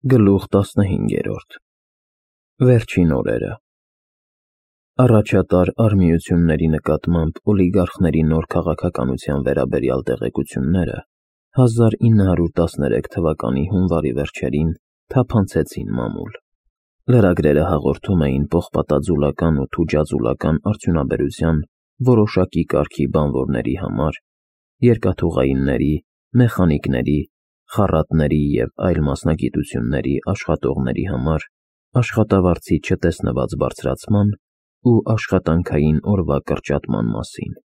Գլուխ 15 Վերջին օրերը Առաջատար արհմիությունների նկատմամբ օլիգարխների նոր քաղաքականության վերաբերյալ տեղեկությունները 1913 թվականի հունվարի վերջերին թափանցեցին մամուլ։ Լրագրերը հաղորդում էին պողպատաձուլական ու թուջաձուլական արդյունաբերության որոշակի կարգի բանվորների համար, երկաթուղայինների, մեխանիկների, խառատների և այլ մասնագիտությունների աշխատողների համար աշխատավարձի չտեսնված բարձրացման ու աշխատանքային օրվա կրճատման մասին։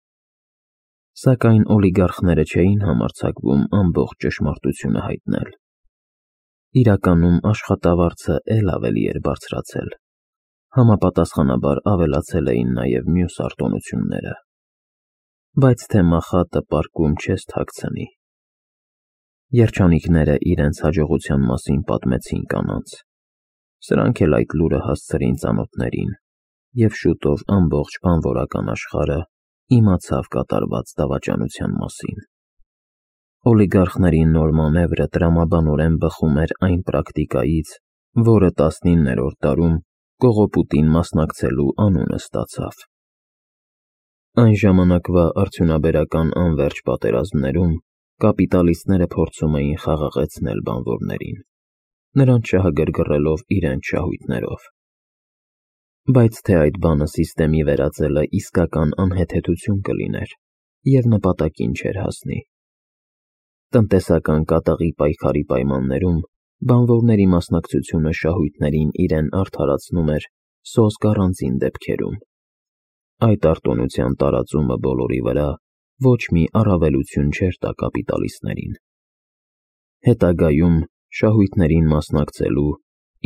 Սակայն օլիգարխները չէին համարձակվում ամբողջ ճշմարտությունը հայտնել։ Իրականում աշխատավարձը էլ ավելի էր բարձրացել։ Համապատասխանաբար ավելացել էին նաև մյուս արտոնությունները։ Բայց թե մախատը պարկում չես թաքցնի։ Երջանիկները իրենց հաջողության մասին պատմեցին կանանց։ Սրանք էլ այդ լուրը հասցրին ծանոթներին, և շուտով ամբողջ բանվորական աշխարհը իմացավ կատարված դավաճանության մասին։ Օլիգարխների նոր մանևրը տրամաբանորեն բխում էր այն պրակտիկայից, որը 19-րդ դարում կողոպուտին մասնակցելու անունը ստացավ։ Այն ժամանակվա արդյունաբերական անվերջ պատերազմներում կապիտալիստները փորձում էին խաղաղեցնել բանվորներին, նրանց շահագրգռելով իրենց շահույթներով։ Բայց թե այդ բանը սիստեմի վերածելը իսկական անհեթեթություն կլիներ և նպատակին չէր հասնի։ Տնտեսական կատաղի պայքարի պայմաններում բանվորների մասնակցությունը շահույթներին իրեն արդարացնում էր սոսկ առանձին դեպքերում։ Այդ արտոնության տարածումը բոլորի վրա ոչ մի առավելություն չէր տա կապիտալիստներին։ Հետագայում շահույթներին մասնակցելու,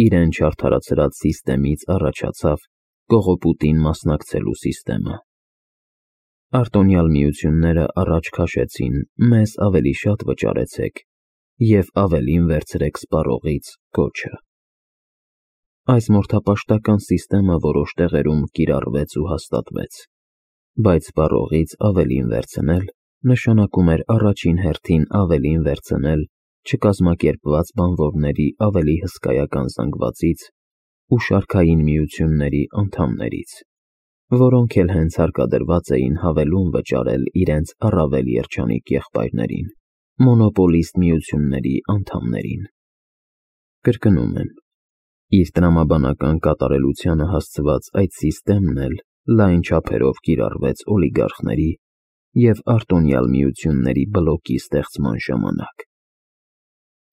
իրեն չարդարացրած սիստեմից առաջացավ կողոպուտին մասնակցելու սիստեմը։ Արտոնյալ միությունները առաջ քաշեցին «մեզ ավելի շատ վճարեցեք» և ավելին վերցրեք սպառողից կոչը։ Այս մորթապաշտական սիստեմը որոշ տեղերում կիրառվեց ու հաստատվեց, բայց սպառողից ավելին վերցնել նշանակում էր առաջին հերթին ավելին վերցնել չկազմակերպված բանվորների ավելի հսկայական զանգվածից ու շարքային միությունների անդամներից, որոնք էլ հենց հարկադրված էին հավելում վճարել իրենց առավել երջանիկ եղբայրներին, մոնոպոլիստ միությունների անդամներին։ Կրկնում եմ, իր տրամաբանական կատարելությանը հասցված այդ սիստեմն էլ լայն չափերով կիրառվեց օլիգարխների և արտոնյալ միությունների բլոկի ստեղծման ժամանակ։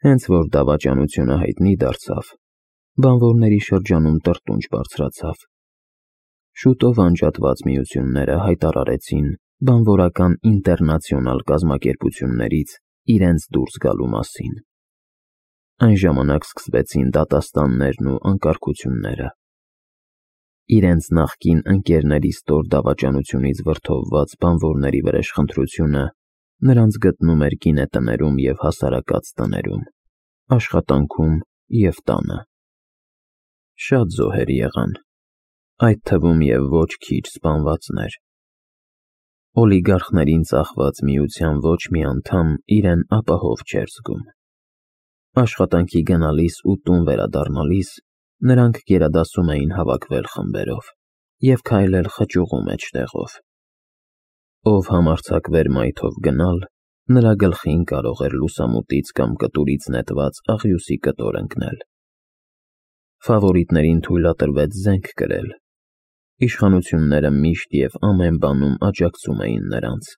Հենց որ դավաճանությունը հայտնի դարձավ, բանվորների շրջանում տրտունջ բարձրացավ։ Շուտով անջատված միությունները հայտարարեցին բանվորական ինտերնացիոնալ կազմակերպություններից իրենց դուրս գալու մասին։ Այն ժամանակ սկսվեցին դատաստաններն ու անկարգությունները։ Իրենց նախկին ընկերների ստոր դավաճանությունից վրդովված բանվորների վրեժխնդրությունը նրանց գտնում էր գինետներում և հասարակած տներում, աշխատանքում և տանը։ Շատ զոհեր եղան, այդ թվում և ոչ քիչ սպանվածներ։ Օլիգարխներին ծախված միության ոչ մի անդամ իրեն ապահով չէր զգում։ Աշխատանքի գնալիս ու տուն վերադառնալիս նրանք գերադասում էին հավաքվել խմբերով և քայլել խճուղու մեջտեղով։ Ով համարձակվեր մայթով գնալ, նրա գլխին կարող էր լուսամուտից կամ կտուրից նետված աղյուսի կտոր ընկնել։ Ֆավորիտներին թույլատրվեց զենք կրել։ Իշխանությունները միշտ և ամեն բանում աջակցում էին նրանց։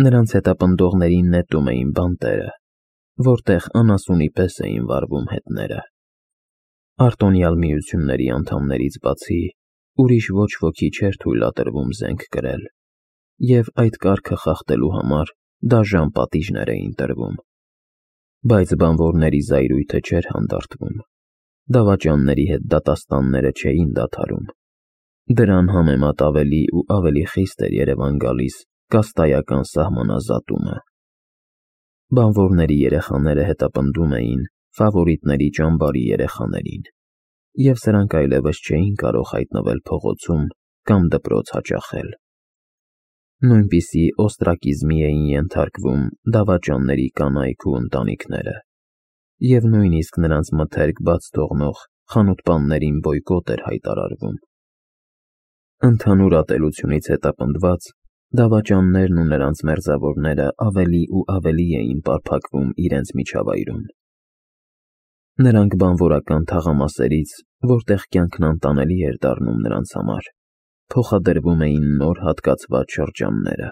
Նրանց հետապնդողներին նետում էին բանտերը, որտեղ անասունի պես էին վառվում հետները։ Արտոնյալ միությունների անդամներից բացի ուրիշ ոչ ոքի չէր թույլատրվում զենք կրել, և այդ կարգը խախտելու համար դաժան պատիժներ էին տրվում։ Բայց բանվորների զայրույթը չէր հանդարտվում։ Դավաճանների հետ դատաստանները չէին դադարում։ Դրան համեմատ ավելի ու ավելի խիստ էր երևան գալիս կաստայական սահմանազատումը։ Բանվորների երեխաները հետապնդում էին ֆավորիտների ճամբարի երեխաներին, և սրանք այլևս չէին կարող հայտնվել փողոցում կամ դպրոց հաճախել։ Նույնպիսի օստրակիզմի էին ենթարկվում դավաճանների կանայք ու ընտանիքները։ և նույնիսկ նրանց մթերք բաց թողնող խանութպաններին բոյկոտ էր հայտարարվում։ Ընդհանուր ատելությունից հետապնդված, դավաճաններն ու նրանց մերձավորները ավելի ու ավելի էին պարփակվում իրենց միջավայրում։ Նրանք բանվորական թաղամասերից, որտեղ կյանքն անտանելի էր դառնում նրանց համար, փոխադրվում էին նոր հատկացված շրջանները։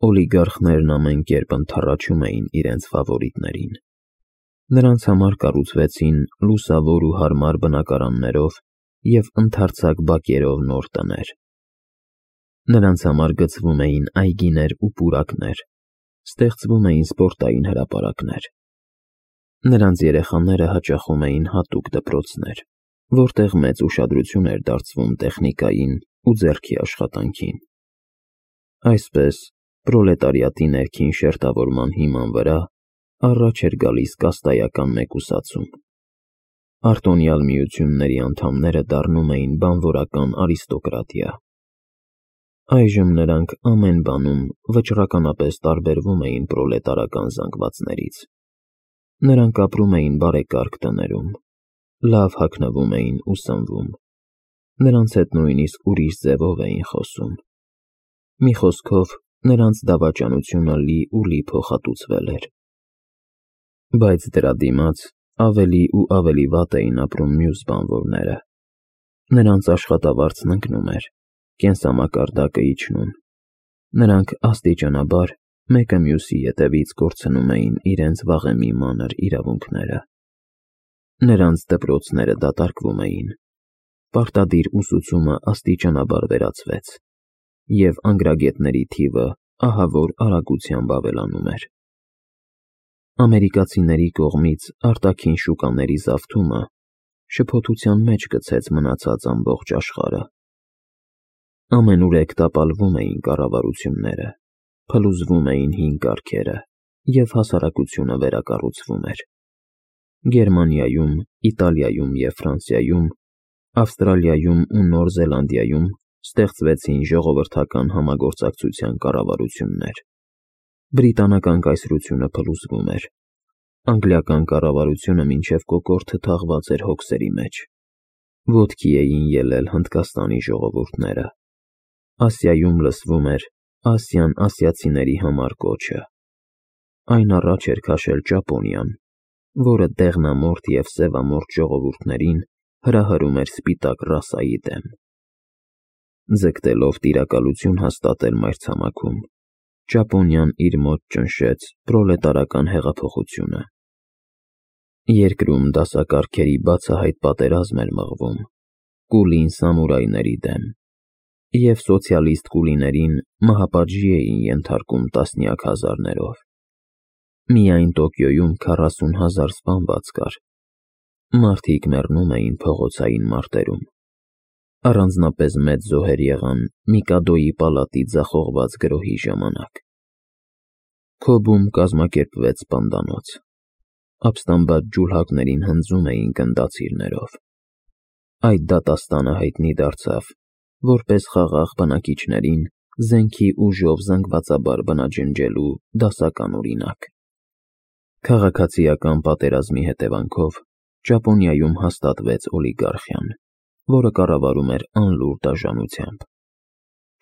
Օլիգարխներն ամեն կերպ ընդառաջում էին իրենց ֆավորիտներին։ Նրանց համար կառուցվեցին լուսավոր ու հարմար բնակարաններով և ընդարձակ բակերով նոր տներ։ Նրանց համար գծվում էին այգիներ ու պուրակներ, ստեղծվում էին սպորտային հրապարակներ։ Նրանց երեխաները հաճախում էին հատուկ դպրոցներ, որտեղ մեծ ուշադրություն էր դարձվում տեխնիկային ու ձեռքի աշխատանքին։ Այսպես, պրոլետարիատի ներքին շերտավորման հիման վրա առաջ էր գալիս կաստայական մեկուսացում։ Արտոնյալ միությունների անդամները դառնում էին բանվորական արիստոկրատիա։ Այժմ նրանք ամեն բանում վճռականապես տարբերվում էին պրոլետարական զանգվածներից։ Նրանք ապրում էին բարեկարգ տներում, լավ հագնվում էին ու սնվում։ Նրանց հետ նույնիսկ ուրիշ ձևով էին խոսում։ Մի խոսքով, նրանց դավաճանությունը լի ու լի փոխհատուցվել էր։ Բայց դրա դիմաց ավելի ու ավելի վատ էին ապրում մյուս բանվորները։ Նրանց աշխատավարձն ընկնում էր, կենսամակարդակը իջնում։ Նրանք աստիճանաբար մեկը մյուսի ետևից կորցնում էին իրենց վաղեմի մանր իրավունքները։ Նրանց դպրոցները դատարկվում էին, պարտադիր ուսուցումը աստիճանաբար վերացվեց, և անգրագետների թիվը ահավոր արագությամբ ավելանում էր։ Ամերիկացիների կողմից արտաքին շուկաների զավթումը շփոթության մեջ գցեց մնացած ամբողջ աշխարհը։ Ամենուրեք տապալվում էին կառավարությունները, փլուզվում էին հին կարգերը, և հասարակությունը վերակառուցվում էր։ Գերմանիայում, Իտալիայում և Ֆրանսիայում, Ավստրալիայում ու Նոր Զելանդիայում ստեղծվեցին ժողովրդական համագործակցության կառավարություններ։ Բրիտանական կայսրությունը փլուզվում էր։ Անգլիական կառավարությունը մինչև կոկորդը թաղված էր հոգսերի մեջ։ Ոտքի էին ելել Հնդկաստանի ժողովուրդները։ Ասիայում լսվում էր «Ասիան ասիացիների համար» կոչը։ Այն առաջ էր քաշել Ճապոնիան, որը դեղնամորթ և սևամորթ ժողովուրդներին հրահրում էր սպիտակ ռասայի դեմ։ Ձգտելով տիրակալություն հաստատել մայրցամաքում, Ճապոնիան իր մոտ ճնշեց պրոլետարական հեղափոխությունը։ Երկրում դասակարգերի բացահայտ պատերազմ էր մղվում կուլին սամուրայների դեմ, և սոցիալիստ կուլիներին մահապատժի էին ենթարկում տասնյակ հազարներով։ Միայն Տոկիոյում 40,000 սպանված կար։ Մարդիկ մեռնում էին փողոցային մարտերում։ Առանձնապես մեծ զոհեր եղան Միկադոյի պալատի ձախողված գրոհի ժամանակ։ Քոբում կազմակերպվեց սպանդանոց։ Ապստամբած ջուլհակներին հնձում էին գնդացիրներով։ Այդ դատաստանը հայտնի դարձավ որպես խաղաղ բնակիչներին զենքի ուժով զանգվածաբար բնաջնջելու դասական օրինակ։ Քաղաքացիական պատերազմի հետևանքով Ճապոնիայում հաստատվեց օլիգարխիան, որը կառավարում էր անլուռ դաժանությամբ։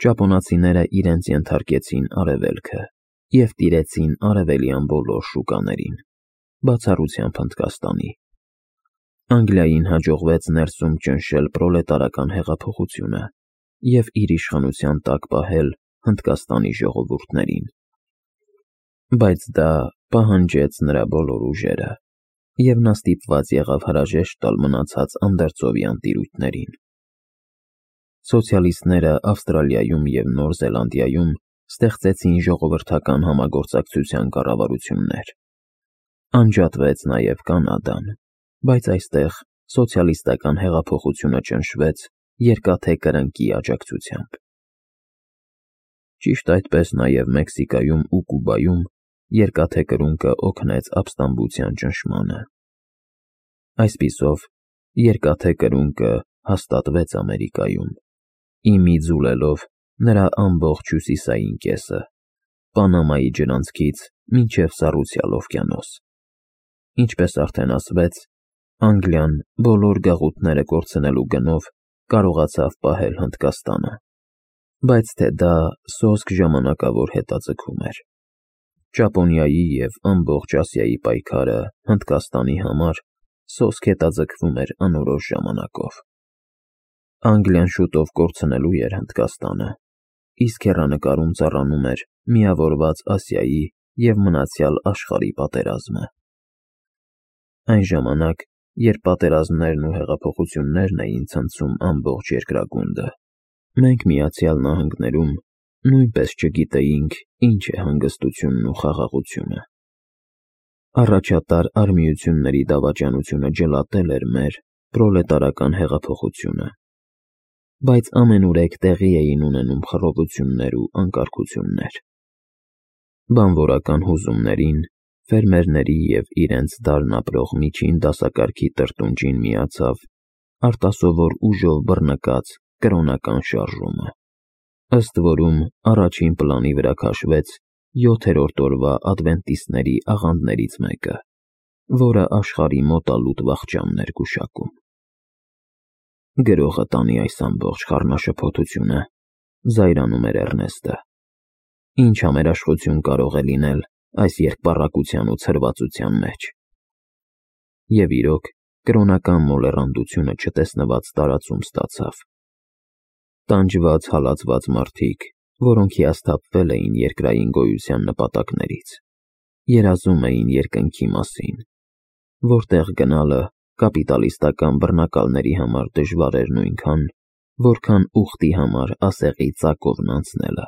Ճապոնացիները իրենց ենթարկեցին Արևելքը և տիրեցին արևելյան բոլոր շուկաներին, բացառությամբ Հնդկաստանի։ Անգլիային հաջողվեց ներսում ճնշել պրոլետարական հեղափոխությունը և իր իշխանության տակ պահել Հնդկաստանի ժողովուրդներին։ Բայց դա պահանջեց նրա բոլոր ուժերը, և նա ստիպված եղավ հրաժեշտ տալ մնացած անդերձովյան տիրույթներին։ Սոցիալիստները Ավստրալիայում և Նոր Զելանդիայում ստեղծեցին ժողովրդական համագործակցության կառավարություններ։ Անջատվեց նաև Կանադան, բայց այստեղ սոցիալիստական հեղափոխությունը ճնշվեց Երկաթե Կրնկի աջակցությամբ։ Ճիշտ այդպես նաև Մեքսիկայում ու Կուբայում Երկաթե Կրունկը օգնեց ապստամբության ճնշմանը։ Այսպիսով, Երկաթե Կրունկը հաստատվեց Ամերիկայում, ի մի ձուլելով նրա ամբողջ հյուսիսային կեսը՝ Պանամայի ջրանցքից մինչև Սառուցյալ օվկիանոս։ ինչպես արդեն ասվեց, Անգլիան բոլոր գաղութները կորցնելու գնով կարողացավ պահել Հնդկաստանը, բայց թե դա սոսկ ժամանակավոր հետաձգում էր։ Ճապոնիայի և ամբողջ Ասիայի պայքարը Հնդկաստանի համար սոսկ հետաձգվում էր անորոշ ժամանակով։ Անգլիան շուտով կորցնելու էր Հնդկաստանը, իսկ հեռանկարում ծառանում էր միավորված Ասիայի և մնացյալ աշխարհի պատերազմը։ Այն ժամանակ, երբ պատերազմներն ու հեղափոխություններն էին ցնցում ամբողջ երկրագունդը, մենք Միացյալ Նահանգներում նույնպես չգիտեինք, ինչ է հանգստությունն ու խաղաղությունը։ Առաջատար արմիությունների դավաճանությունը ջլատել էր մեր պրոլետարական հեղափոխությունը, բայց ամենուրեք տեղի էին ունենում խռովություններ ու անկարգություններ։ Բանվորական հուզումներին, ֆերմերների և իրենց դարն ապրող միջին դասակարգի տրտունջին միացավ արտասովոր ուժով բռնկած կրոնական շարժումը, ըստ որում առաջին պլանի վրա քաշվեց 7-րդ օրվա ադվենտիստների աղանդներից մեկը, որը աշխարհի մոտալուտ վախճանն էր գուշակում։ «Գրողը տանի այս ամբողջ խառնաշփոթությունը», զայրանում էր Էռնեստը։ «Ինչ համերաշխություն կարող է լինել այս երկպառակության ու ցրվածության մեջ»։ Եվ իրոք, կրոնական մոլեռանդությունը չտեսնված տարածում ստացավ։ Տանջված, հալածված մարդիկ, որոնք հիասթափվել էին երկրային գոյության նպատակներից, երազում էին երկնքի մասին, որտեղ գնալը կապիտալիստական բռնակալների համար դժվար էր նույնքան, որքան ուխտի համար ասեղի ծակովն անցնելը։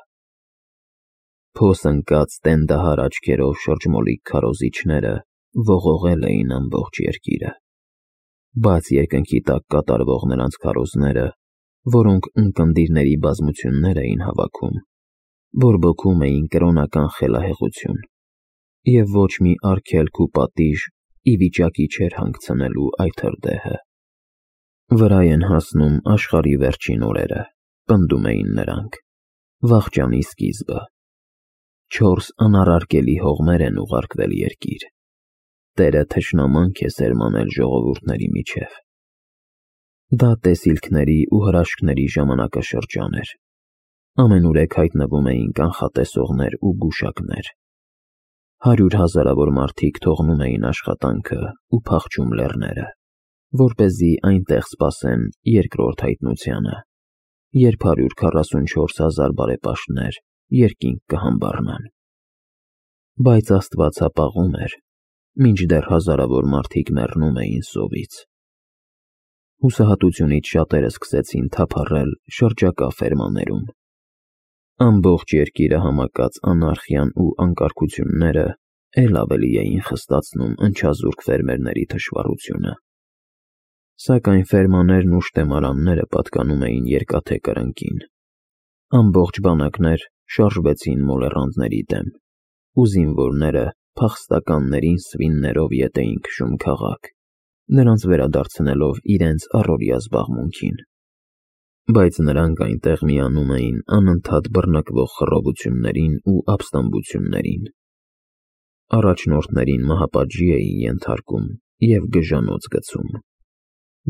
Փոս ընկած տենդահար աչքերով շրջմոլիկ քարոզիչները ողողել էին ամբողջ երկիրը, բաց երկնքի տակ կատարվող նրանց քարոզները, որոնք ունկնդիրների բազմություններ էին հավաքում, բորբոքում էին կրոնական խելահեղություն, և ոչ մի արգելք ու պատիժ ի վիճակի չէր հանգցնելու այդ հրդեհը։ «Վրա են հասնում աշխարհի վերջին օրերը», պնդում էին նրանք, «վախճանի սկիզբը։ 4 անառարկելի հողմեր են ուղարկվել երկիր։ Տերը թշնամանք է սերմանել ժողովուրդների միջև»։ Դա տեսիլքների ու հրաշքների ժամանակաշրջան էր։ Ամենուրեք հայտնվում էին կանխատեսողներ ու գուշակներ։ 100 հազարավոր մարդիկ թողնում էին աշխատանքը ու փախչում լեռները, որպեսզի այնտեղ սպասեն երկրորդ հայտնությանը, երբ 144 հազար բարեպաշտներ երկինք կհամբառնան։ Բայց Աստված հապաղում էր, մինչդեռ հազարավոր մարդիկ մեռնում էին սովից։ Հուսահատությունից շատերը սկսեցին թափառել շրջակա ֆերմաներում։ Ամբողջ երկիրը համակած անարխիան ու անկարգությունները էլ ավելի էին խստացնում ընչազուրկ ֆերմերների թշվառությունը։ Սակայն ֆերմաներն ու շտեմարանները պատկանում էին երկաթե կրնկին։ Ամբողջ բանակներ շարժվեցին մոլեռանդների դեմ, ու զինվորները փախստականներին սվիններով ետ էին քշում քաղաք, նրանց վերադարձնելով իրենց առօրյա զբաղմունքին։ Բայց նրանք այնտեղ միանում էին անընդհատ բռնկվող խռովություններին ու ապստամբություններին։ Առաջնորդներին մահապատժի էին ենթարկում և գժանոց գցում,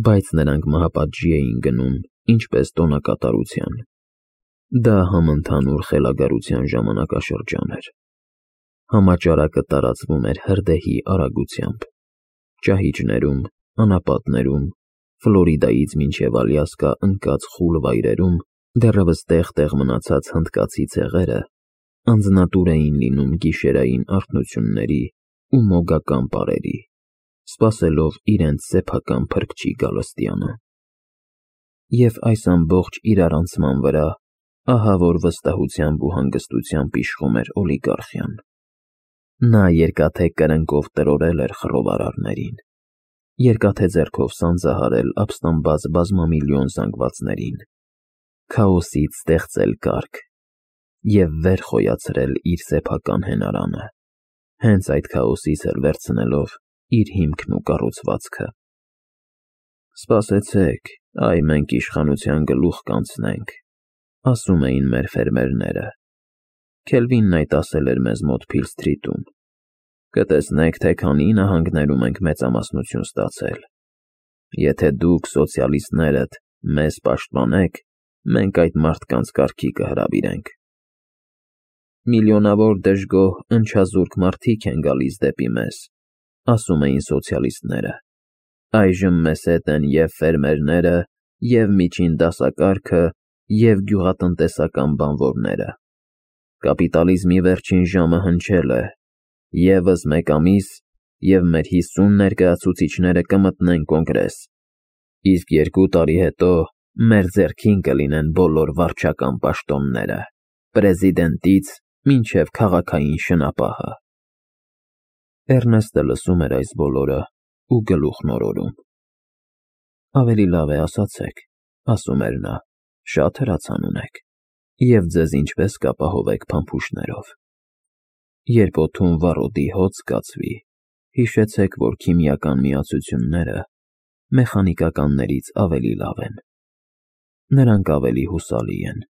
բայց նրանք մահապատժի էին գնում ինչպես տոնակատարության։ Դա համընդհանուր խելագարության ժամանակաշրջան էր։ Համաճարակը տարածվում էր հրդեհի արագությամբ։ Ճահիճներում, անապատներում, Ֆլորիդայից մինչև Ալյասկա ընկած խուլ վայրերում դեռևս տեղ-տեղ մնացած հնդկացի ցեղերը անձնատուր էին լինում գիշերային արթնությունների ու մոգական պարերի, սպասելով իրենց սեփական փրկչի գալստյանը։ Եվ այս ամբողջ իրարանցման վրա ահա որ վստահությամբ ու հանգստությամբ իշխում էր օլիգարխիան։ Նա երկաթե կրնկով տրորել էր խռովարարներին, երկաթե ձեռքով սանձահարել ապստամբած բազմամիլիոն զանգվածներին, քաոսից ստեղծել կարգ և վեր խոյացրել իր սեփական հենարանը, հենց այդ քաոսից էլ վերցնելով իր հիմքն ու կառուցվածքը։ «Սպասեցեք, այ մենք իշխանության գլուխ կանցնենք», ասում էին մեր ֆերմերները։ Քելվինն այդ ասել էր մեզ մոտ Փիլ Սթրիթում։ Կտեսնեք, թե քանի նահանգներում ենք մեծամասնություն ստացել։ Եթե դուք սոցիալիստներդ մեզ պաշտպանեք, մենք այդ մարդկանց կարգի կհրավիրենք։ Միլիոնավոր դժգոհ, ընչազուրկ մարդիկ են գալիս դեպի մեզ, ասում էին սոցիալիստները։ Այժմ մեզ հետ են և ֆերմերները, և միջին դասակարգը, և գյուղատնտեսական բանվորները։ Կապիտալիզմի վերջին ժամը հնչել է, ևս մեկ ամիս, և մեր 50 ներկայացուցիչները կմտնեն կոնգրես, իսկ 2 տարի հետո մեր ձեռքին կլինեն բոլոր վարչական պաշտոնները, պրեզիդենտից մինչև քաղաքային շնապահը։ Էռնեստը լսում էր այս բոլորը ու գլուխն օրորում։ Ավելի լավ է ասացեք, ասում էր նա, շատ հրացան ունեք, և ձեզ ինչպես կապահովեք փամփուշտներով։ Երբ օդում վառոդի հոտ զգացվի, հիշեցեք, որ քիմիական միացությունները մեխանիկականներից ավելի լավ են։ Նրանք ավելի հուսալի են։